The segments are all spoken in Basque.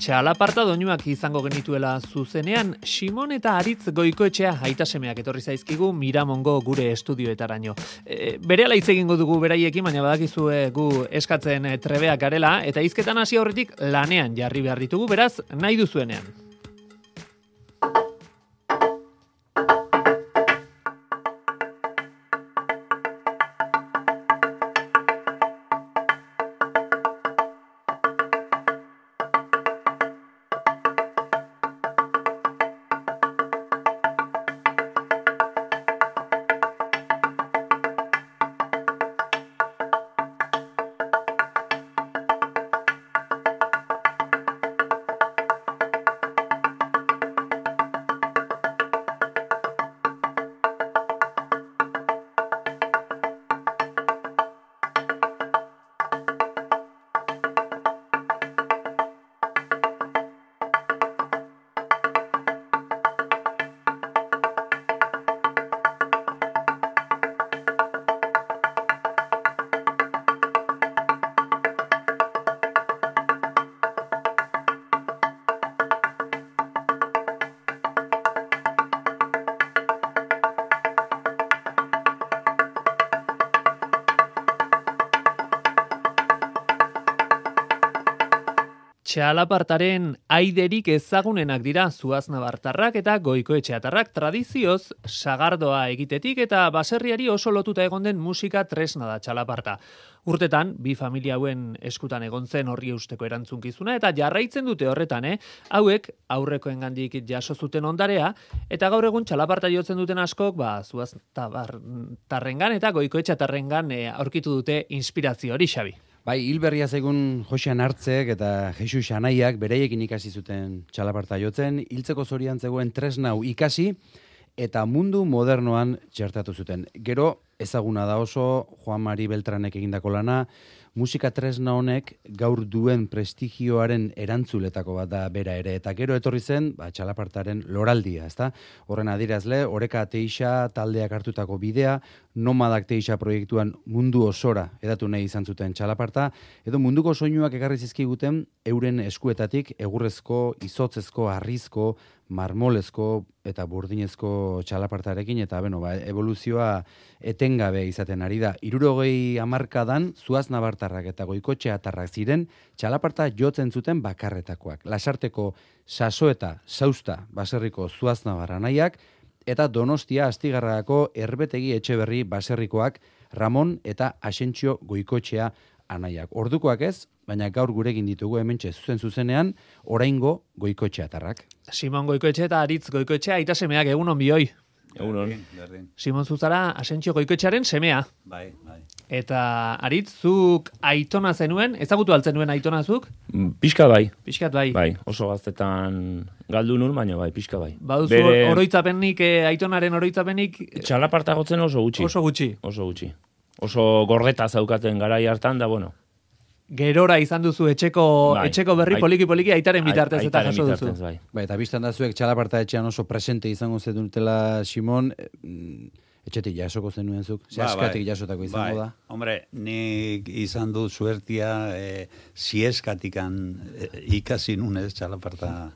Txalaparta doinuak izango genituela zuzenean, Simon eta Aritz Goikoetxea aitasemeak etorri zaizkigu Miramongo gure estudioetaraino. Berehala hitz egingo dugu beraiekin, baina badakizue gu eskatzen trebeak garela, eta hizketan hasi aurretik lanean jarri behar ditugu, beraz, nahi duzuenean. Txalapartaren aiderik ezagunenak dira Zuaznabartarrak eta Goikoetxeatarrak, tradizioz sagardoa egitetik eta baserriari oso lotuta egon den musika tresna da txalaparta. Urtetan, bi familia hauen eskutan egon zen horri eusteko erantzunkizuna eta jarraitzen dute horretan, hauek aurrekoengandik jaso zuten ondarea eta gaur egun txalaparta jotzen duten askok, Zuaznabartarrengan eta Goikoetxeatarrengan aurkitu dute inspirazio hori, Xabi. Bai, hilberria zaigun Josean Hartzek eta Jesus Anaiak bereiekin ikasi zuten txalaparta jotzen, hiltzeko zorian zegoen tresnau ikasi eta mundu modernoan txertatu zuten. Gero, ezaguna da oso, Juan Mari Beltranek egindako lana, musika tresna honek gaur duen prestigioaren erantzuletako bat da bera ere. Eta gero etorri zen, txalapartaren loraldia, ezta? Horren adierazle, Oreka Teixa taldeak hartutako bidea, Nomadak Teixa proiektuan mundu osora edatu nahi izan zuten txalaparta, edo munduko soinuak ekarri zizkiguten euren eskuetatik egurrezko, izotzezko, harrizko, marmolezko eta burdinezko txalapartarekin, eta evoluzioa etengabe izaten ari da. 60 hamarkadan Zuaznabartarrak eta Goikoetxeatarrak ziren txalaparta jotzen zuten bakarretakoak. Lasarteko Sasoeta Sausta baserriko Zuaznabar Anaiak eta Donostia Astigarragako Erbetegi Etxeberri baserrikoak Ramon eta Asentzio Goikoetxea Anaiak. Ordukoak ez, baina gaur gurekin ditugu hementxe zuzenean oraingo Goikoetxeatarrak. Simon Goikoetxe eta Aritz Goikoetxea aitasemeak egunon bioi. Egunon. Simon zuzara Asentzio Goikoetxearen semea. Bai. Eta Aritz, zuk aitona zenuen, ezagutu altzen nuen aitona zuk? Pixka bai. Pixkat bai. Bai, oso gaztetan galdu nun, baina bai, pixka bai. Baduzu oroitzapenik, aitonaren oroitzapenik? Txalaparta gotzen oso gutxi. Oso gutxi. Oso gordeta zaukaten garai hartan da, bueno. Gerora izan duzu etxeko berri poliki aitaren bitartez eta jaso duzu. Bai, eta biztan da zuek txalaparta etxean oso presente izango zenutela, Simon, etxetik jasoko zenuen zuk? Zehaskatik jasotako izango da? Hombre, nik izan du suertia zieskatikan ikasi nunez txalaparta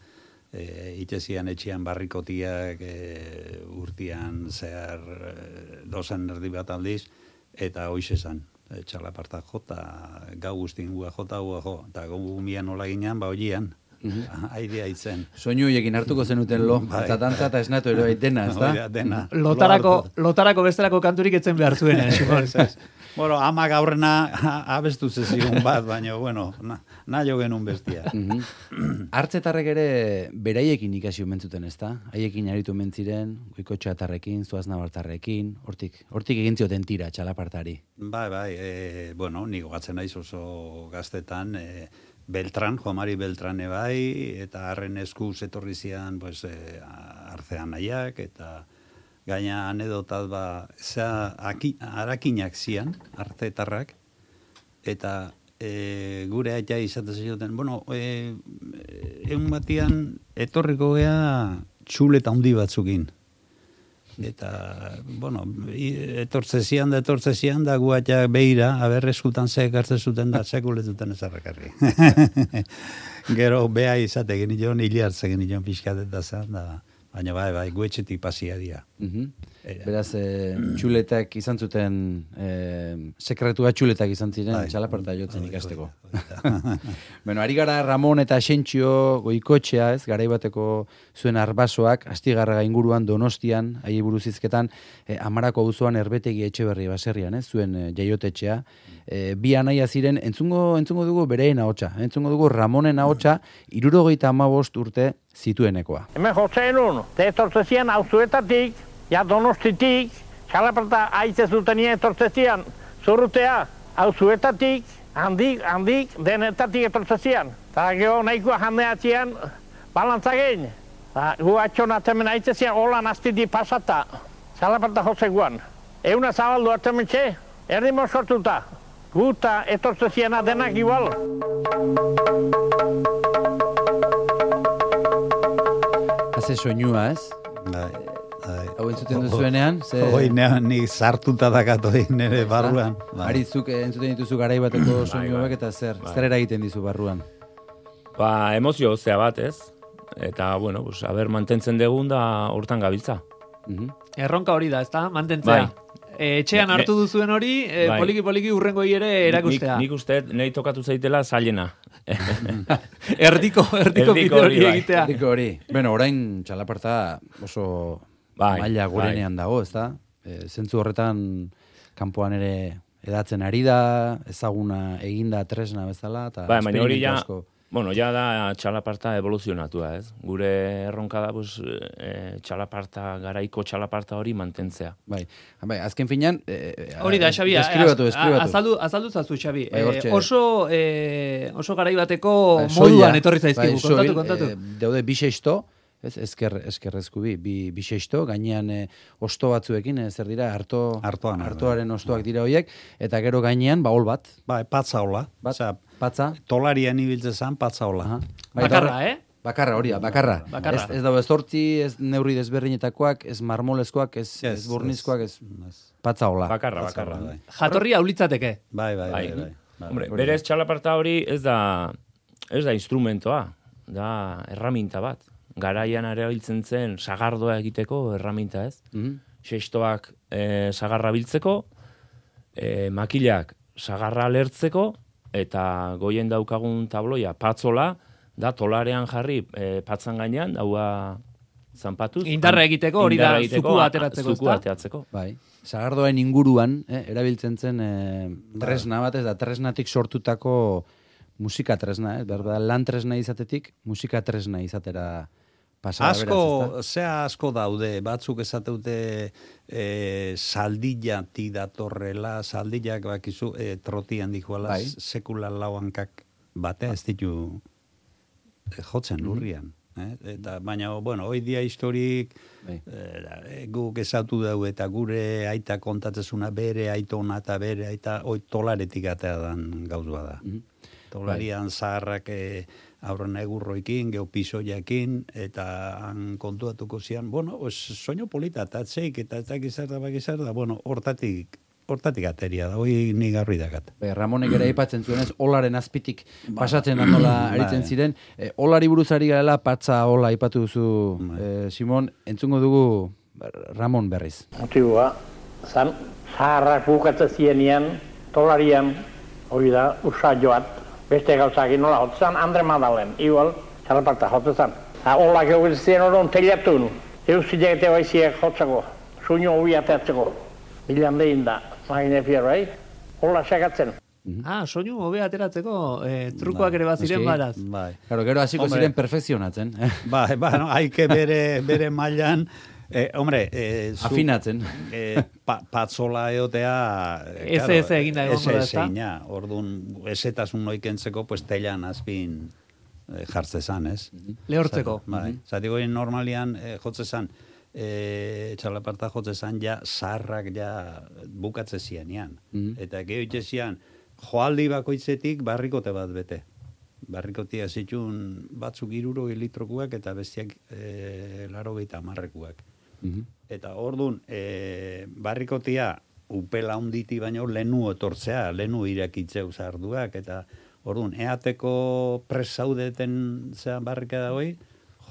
itxezian etxean barrikotiak urtian zehar dozen erdi bat aldiz, eta hoiz esan. Txalaparta jota, gau guztin gua jota, eta gau mian nola ginean, hoian, aidea itzen. Soinu ekin hartuko zenuten lo, eta dantza eta esnatu ero dena, ez da? Dena. Lotarako bestelako kanturik etzen behar zuen, Simon. Bueno, ama gaurrena abestu zezigun bat, baina, bueno, nahi genuen bestia. Hartzetarrek ere beraiekin ikasi omentzuten, ez da? Haiekin aritu mentziren, Goikoetxeatarrekin, Zuaznabartarrekin, hortik egin zioten tira txalapartari. Bai, bueno, niko gatzen naiz oso gaztetan, Beltran, Juan Mari Beltrane bai, eta harren eskuz etorri zian, Artzean nahiak, eta gaina anedotat harakinak zian, artetarrak, eta gure aita izaten zioten, bueno, egun batian etorriko gea txuleta handi batzukin. Eta, bueno, etortzezian da guatak behira, aber eskutan ze ekartzen zuten da, sekuletuten ezarrakarri. Gero, beha izate genion, hili hartze genion pixkateta zen, da, baina bai, guetxetik pasia dira. Beraz, txuletak izan zuten, sekretua txuletak izan ziren, txalaparta jotzen ikasteko. Bueno, ari gara Ramon eta Xentxio Goikoetxea, ez, garaibateko zuen arbasoak, Astigarraga inguruan Donostian, ahi buruz hizketan, Amarako auzoan Erbetegi Etxeberri baserrian, ez, zuen jaiotetxea. Bi anaia ziren, entzungo dugu bereen ahotsa, entzungo dugu Ramonen ahotsa, 75 urte zituenekoa. Hemen jotzen un, etortzezian auzuetatik, ja Donostitik, txalaparta aitze zutenia etortzezian, zurrutea, auzuetatik, handik, denetatik etortzezian. Eta geho nahikoa jandeatzean, balantzagein. Gu atxonatzen aitzezian, holan astiti pasata, txalaparta jozeguan. Euna zabaldu atzementxe, erdi moskortuta. Guta etortzeziana denak igual. Haze soinua, ez? Hau entzuten duzuenean? Hoi, ni sartuta dakat hoi nire barruan. Arizuk entzuten dituzu garaibateko soinuak eta zer eragiten dizu barruan? Emozio zea bat, ez? Eta, bueno, haber mantentzen degun da hortan gabiltza. Erronka hori da, ezta? Mantentzea. Etxean hartu duzuen hori, poliki urrengo ere erakustea. Nik uste, nahi tokatu zaitela zailena. Erdiko bide hori egitea. Erdiko hori. Bueno, orain txalaparta oso maila gorenean dago, ezta? Zentzu horretan kanpoan ere edatzen ari da, ezaguna eginda tresna bezala, eta esperimentu asko. Bueno, ja da txalaparta evoluzionatua, ez? Gure erronka da, txalaparta, garaiko txalaparta hori mantentzea. Bai, azken finean... Hori da, Xabi, deskribatu. Azaldu zazu, Xabi. Oso garaibateko moduan etorri zaizkigu, kontatu. Daude bisexto, eskerrezku bisexto, gainean osto batzuekin, zer dira, hartoaren ostoak dira horiek, eta gero gainean, hol bat. Patza hola. Patza? Tolarian ibiltze zan, patza hola. Bakarra, Bakarra, hori da, bakarra. Ez dago ez tortzi, ez neurri desberdinetakoak, ez marmolezkoak, ez burnizkoak, ez patza hola. Bakarra. Jatorri haulitzateke. Bai. Hombre, berez txalaparta hori ez da instrumentoa, da erraminta bat. Garaian erabiltzen zen sagardoa egiteko erraminta, ez? Xestoak sagarra biltzeko, makilak sagarra lertzeko, eta goien daukagun tabloia patzola, da tolarean jarri patzan gainean, daua zanpatuz. Indarra egiteko, hori da zukua ateratzeko. Bai. Sagardoen inguruan, erabiltzen zen tresna bat, ez da tresnatik sortutako musika tresna, berda lan tresna izatetik, musika tresna izatera asko daude, batzuk esateute saldillatik datorrela, saldillak bakizu trotian dikoala, sekula lauankak batea ez ditu jotzen lurrian. Baina, bueno, hoi dia historik guk esatu dau eta gure aita kontatzezuna bere aitona eta bere aita hoi tolaretik atea dan gauzua da. Tolarian zaharrak aurren egurroikin, geopisoiakin, eta han kontuatuko zian, bueno, soño polita, eta atzeik, eta gizarda, bueno, hortatik ateria da, hoi ni garri dakat. Ramonek ere aipatzen zuenez, olaren azpitik pasatzen da nola aritzen ziren. Olari buruzari garela, patza ola aipatu duzu, Simon, entzungo dugu Ramon berriz. Motiboa, zan, zaharrak bukatzen zienean, tolarian, hori da, usa joat, beste gauzakin nola hotzan, Andre Madalen, igual, txalaparta hotzezan. Olak egitzen oron teliatun, eusile baiziek hotzako, suño hobi ateatzeko, bilan dehin da, magine fierro, Ola sekatzen. Soinu hobe ateratzeko trukoak ere baziren baraz. Gero hasiko ziren perfekzionatzen. Haike bere mailan, afinatzen. Patzola eotea... Ez eginda egon gara, ezta? Orduan, ezetasun noikentzeko, pues telan azpin jartzezan, ez? Lehortzeko. Zatiko normalian jotzezan, txalaparta jotzezan, ja, zaharrak ja bukatze zianean. Eta geho itxezian, joaldi bakoitzetik barrikote bat bete. Barrikotia zitun batzuk 60 litrokuak eta bestiak 80 marrekuak. Eta ordun barrikotia upela hunditi baino lenu etortzea, lenu irakitzeu zarduak, eta ordun eateko presaudeten zean barrikada hoi,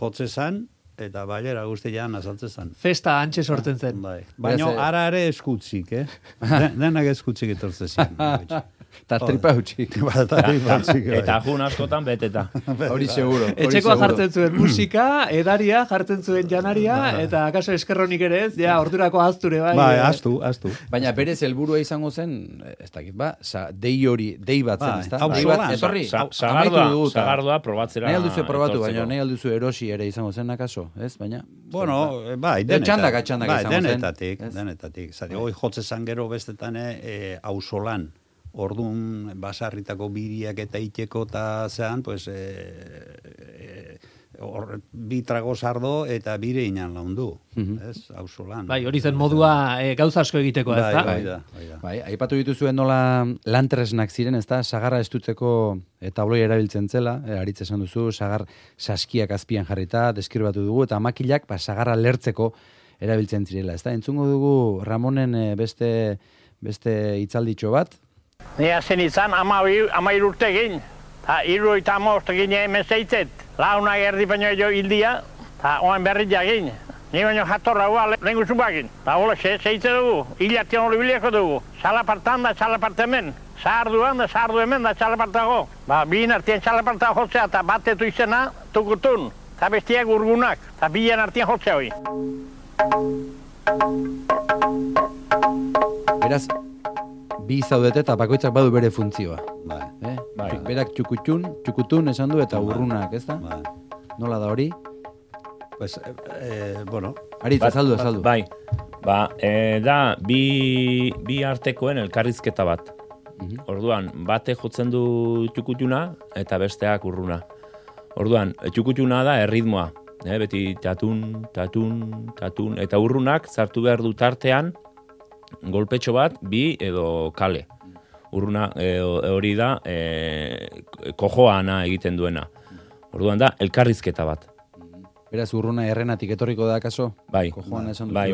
jotze zan, eta bailera guztian azaltze zan. Festa antxe sortzen zen. Bai. Baina ara ere eskutzik, denak eskutzik etortze zian. Eta tripa hutxik. Eta jun askotan beteta. Hori seguro. Etxekoa jartzen zuen musika, edaria, jartzen zuen janaria, eta akaso eskerronik ere ez, ja, ordurako azture, bai. Bai, aztu. Baina berez helburua izango zen, ez dakit, dei bat zen, ez da? Bai, Sagardoa probatzera. Nahi alduzu probatu, baina nahi alduzu erosi ere izango zen, akaso, ez? Baina... Bueno, bai, txandaka bai, izango zen. denetatik. Zati, hoi jotze zan gero bestetan auzolan. Orduan, basarritako biriak eta iteko eta zean, pues, bi trago sardo eta bire inan laundu, ez, auzolan. Bai, hori zen modua gauza asko egiteko, ez da? Bai, aipatu dituzuen nola lantresnak ziren, ez da, sagarra estutzeko tabloi erabiltzen zela, aritz esan duzu, sagar saskiak azpian jarrita, deskribatu dugu, eta makilak sagarra lertzeko erabiltzen zirela, ez da? Entzungo dugu Ramonen beste hitzalditxo bat. Nia zen izan, 12 urte egin. Ta 75 egin hemen zeitzet. Launa erdi baino jo hildia, eta oan berri jagin. Ni baino jatorra hua lehen guzun bagin. Ta hola zeitze dugu, hilatian hori biliako dugu. Salapartan da salapartemen. Sarduan da sardu hemen da salapartago. Bien artien salapartago jotzea, eta batetu izena tukutun. Eta bestiak urgunak, eta bien artien jotzea hoi. Beraz, bi zaudete eta bakoitzak badu bere funtzioa. Bai. Berak txukutun esan du eta urrunak, ez da? Bai. Nola da hori? Pues, bueno. Aritz, azaldu. Bai, da bi artekoen elkarrizketa bat. Orduan, bate jotzen du txukutuna eta besteak urruna. Orduan, txukutuna da erritmoa. Beti tatun, eta urrunak zartu behar du tartean golpetxo bat, bi edo kale. Urruna hori da kojoana egiten duena. Orduan da, elkarrizketa bat. Beraz, urruna errenatik etorriko da, kaso? Bai. Kojoana esan duzu.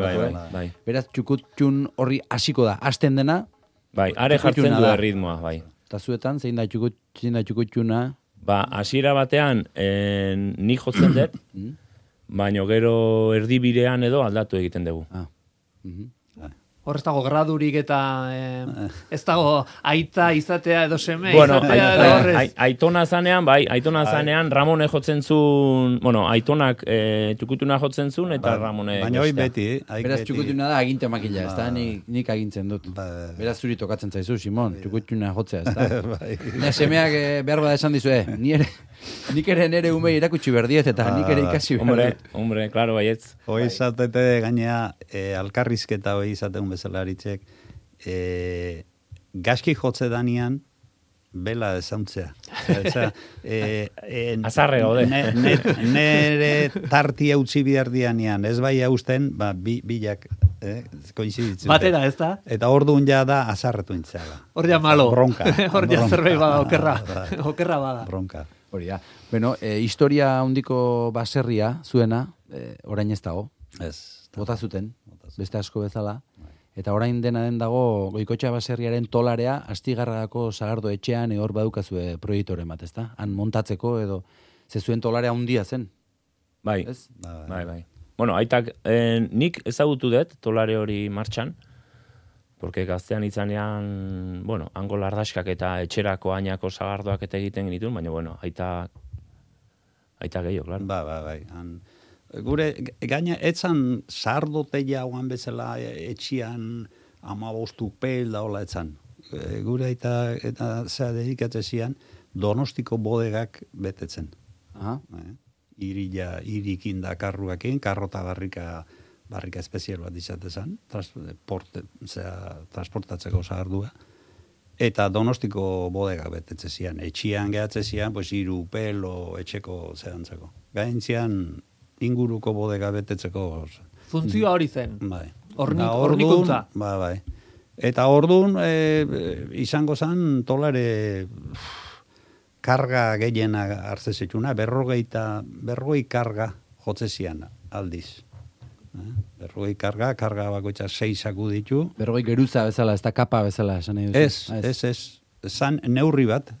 Bai. Beraz, txukutxun horri hasiko da, hasten dena? Bai, are jartzen du erritmoa, bai. Eta zuetan, zein da txukutxuna? Hasiera batean, nik jotzen dut, baina gero erdibidean edo aldatu egiten dugu. Hor ez dago gradurik eta ez dago aita izatea edo seme izatea edo horrez. Aitona zanean, zanean Ramone jotzen zuen, aitonak txukutuna jotzen zuen eta Ramone bestea. Baina hoi beti. Beraz txukutuna da aginte makila, ez da, nik agintzen dut. Beraz zuri tokatzen zaizu, Simon, txukutuna jotzea, ez da. Nire semeak behar bada esan dizue, nik ere nire umei erakutsi berdiet eta nik ere ikasi berdiet. Hombre, klaro, baietz. Hoi izatete gainea, alkarrizketa hoi izaten bezala aritzek, gaski jotze danian, bela ezauntzea. Azarre gaude. Nere tartia utzi behar dianean, ez bai hausten, bilak koinziditzen. Batera, ez da? Eta orduan ja da azarretu intzea. Hor ja malo. Bronka. Hor ja zerbait bada, okerra bada. Bronka. Hori da. Bueno, historia handiko baserria zuena, orain ez dago. Ez. Bota zuten, beste asko bezala. Eta orain dena den dago Goikoetxea baserriaren tolarea Astigarragako Sagardo etxean hor badukazue proiektore bat, ezta? Han montatzeko edo zezuen tolarea handia zen. Bai. Bai. Bueno, aitak nik ezagutu dut tolare hori martxan, porque gaztean itzanean, hango lardaskak eta etxerako ainako sagardoak eta egiten genituen, baina, aita gehiago, klaro. Bai. Gure, gaina, etzan sardoteia oan bezala etxian 15 pel da hola etzan. Gure eta zea dedikatzen zian, Donostiko bodegak betetzen. Irikin da karruakin, karrota barrika espezial bat izatezan, transportatzeko sagardua. Eta Donostiko bodegak betetzen zian. Etxian gehatzen zian, 3 pelo etxeko zehantzeko. Gaintzian, inguruko bodega betetzeko. Funtzioa hori zen. Bai. Hornikuntza. Bai. Eta orduan, izango zen tolare karga gehiena hartzezetuna, 40 karga jotze zian aldiz. Berrogei karga bakoitza 6 saku ditu. Berrogei geruza bezala, ez da kapa bezala, esan nahi duzu? Ez. Zan neurri bat,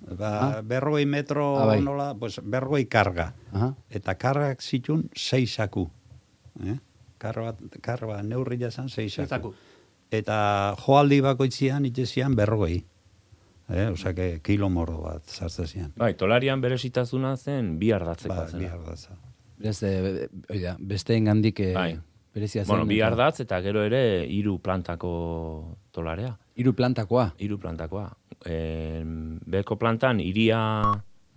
berrogei metro bai. nola, pues, berrogei karga. Eta kargak zitun 6 saku. Karga neurri jazan 6 saku. Eta joaldi bakoitzian itxezian berrogei. Osa, kilo mordo bat zartzen zian. Bai, tolarian berezitazuna zen bi ardatzeko zen. Bi ardatza. Beste engandik berezia zen. Bueno, bi ardatz eta gero ere 3 plantako tolarea. 3 plantakoa? 3 plantakoa. Beko plantan iria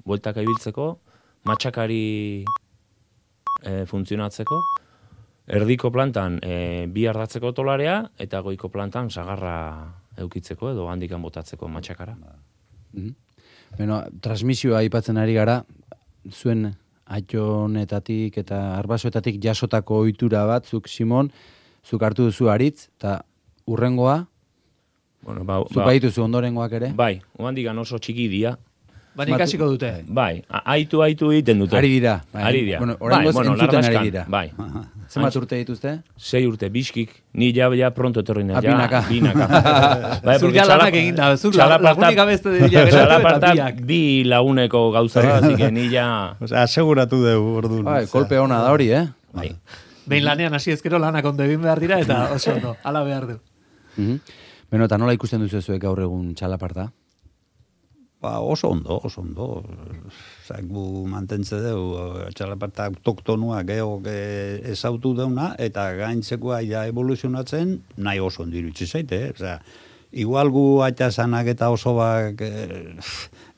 bueltaka ibiltzeko, matxakari funtzionatzeko, erdiko plantan bi ardatzeko tolarea, eta goiko plantan sagarra eukitzeko edo handikan botatzeko matxakara. Bueno, transmisioa aipatzen ari gara, zuen aitonetatik eta arbasoetatik jasotako ohitura bat, zuk Simon, zuk hartu duzu Aritz, eta urrengoa, zuk baituzu ondorengoak ere? Bai, handikan oso txiki dira. Baina ikasiko dute. Bai, aitu egiten dute. Ari dira. Bueno, oraingoz entzuten ari dira. Bai. Zenbat urte dituzte? 6 urte, biskik. Ni ja pronto etorri nahi. Binaka. Bai, zuk ja lanak egin da, zuk lagunik abeste dira geratu eta biak. Bi laguneko gauza da, así que ni ja... Osea, aseguratu dugu orduan. Bai, kolpe ona da hori, Bai. Behin lanean hasi ezkero lanak ondo egin behar dira eta oso ondo, ala behar du. Beno, eta nola ikusten duzu zuek gaur egun txalaparta? Oso ondo. Gu mantentze dugu, txalaparta autoktonua geok ezautu deuna, eta gaintzekoa ja evoluzionatzen nahi oso ondirutzi zaite. Igual gu aitazanak eta oso bak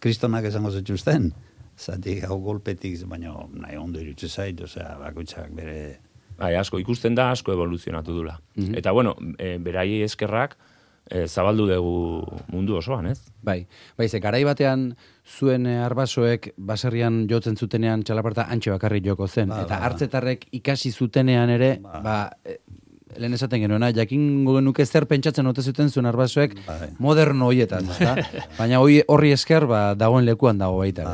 kristonak esango zetxuzten. Zati hau golpetik, baina nahi ondo irutzi zait, bakoitzak bere... Bai, asko ikusten da, asko evoluzionatu dula. Eta bueno, beraiei eskerrak, zabaldu dugu mundu osoan, ez? Bai, ze garai batean zuen arbasoek baserrian jotzen zutenean txalaparta antxe bakarrik joko zen. Eta hartzetarrek ikasi zutenean ere, lehen esaten genuena, jakingo genuke zer pentsatzen ote zuten zuen arbasoek moderno hoietan, baina horri esker dagoen lekuan dago baita,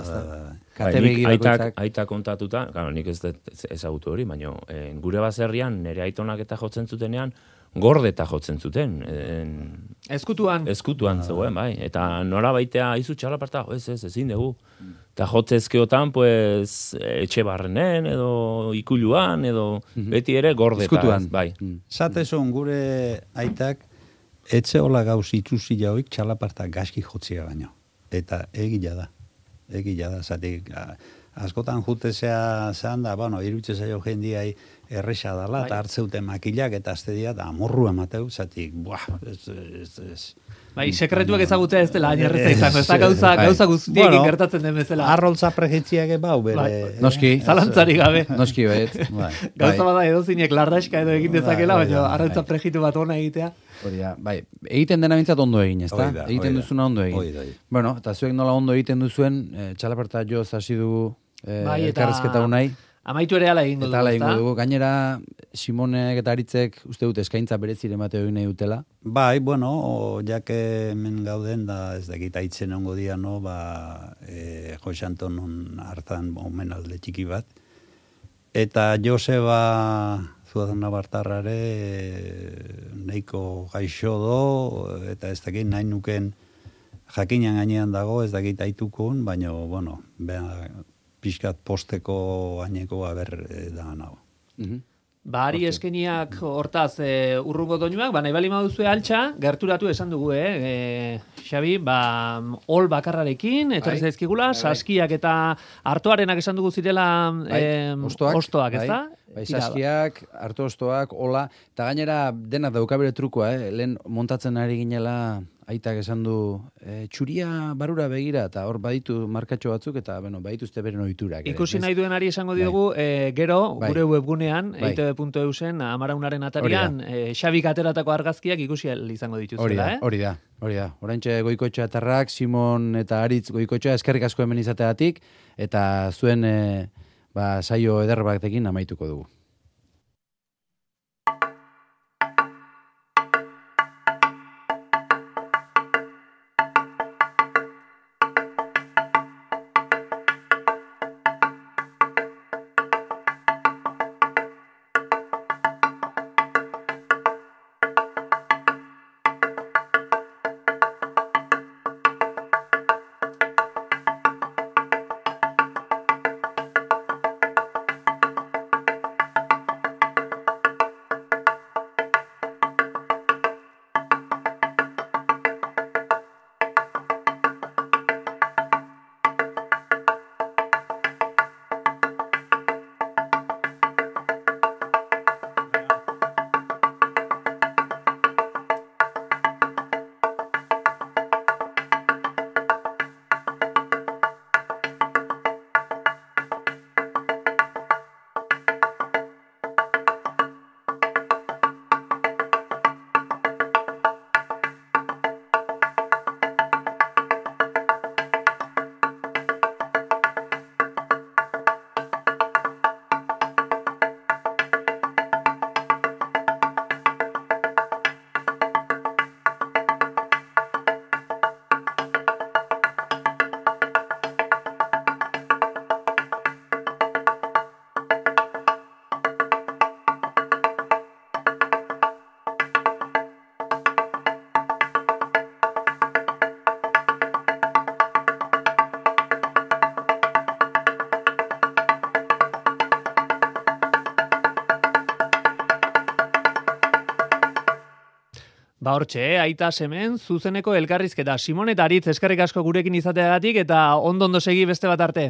Aita kontatuta, nik ez ezagutu hori, baina gure baserrian nire aitonak eta jotzen zutenean, gordeta jotzen zuten. Eskutuan zegoen, bai. Eta nola baitea, izu txalaparta, ezin dugu. Eta jotzezkeotan, pues, etxe barrenen, edo ikuluan, edo beti ere gordeta. Eskutuan. Bai. Zatezon gure aitak, etxe hola gauz itxuzi jauik txalaparta gaski jotzia baino. Eta egila da, zatik... Askotan jutezea zehan da, irutze zaio jendiai erresa dala, eta hartzeute makilak eta azte dira, da amorru emateu, zatik, ez. Bai, sekretuak ezagutzea ez dela, aierreza izango, ez da gauza guztiekin gertatzen den bezala. Arroltza prejitziak bau, bere... Noski. Zalantzari gabe. Noski, baiet. Gauza bada edozinek larraska edo egin dezakela, baina arroltza prejitu bat ona egitea. Bai, egiten dena bintzat ondo egin, ez da? Egiten duzuna ondo egin. Bueno, eta zuek nola ondo egiten duzuen, txalaparta joz hasi dugu elkarrezketa unai. Amaitu ere ala egingo dugu. Gainera, Simonek eta Aritzek uste dut eskaintza berezire emateo egin nahi dutela. Bai, jake hemen gauden da ez dakit aitzen ongo dia, Jose Antonon hartan omenalde txiki bat. Eta Joseba Zuazana Bartarrare nahiko gaixo do, eta ez dakit nahi nuken jakinan gainean dago, ez dakit aitukun, baina, pixkat posteko gaineko da nago. Ari eskeniak hortaz urrungo doinuak, nahi bali maduzue altxa, gerturatu esan dugu, Xabi, ol bakarrarekin, etorri zaizkigula, saskiak eta hartoarenak esan dugu zirela ostoak, ez da? Bai, saskiak, harto ostoak, ola, eta gainera denak dauka bere trukoa, lehen montatzen ari ginela aitak esan du, txuria barura begira, eta hor baditu markatxo batzuk, eta badituzte beren ohiturak. Ikusi nahi duen ari esango diogu, gero, gure webgunean, eitb.eusen, amaraunaren atarian, Xabik ateratako argazkiak ikusi izango dituzela, Hori da. Oraintxe Goikoetxea atarrak, Simon eta Aritz Goikoetxea, eskerrik asko hemen izateatik, eta zuen saio eder batekin amaituko dugu. Ba hortxe, aita semen, zuzeneko elkarrizketa. Simon eta Aritz, eskerrik asko gurekin izateagatik eta ondo segi beste bat arte.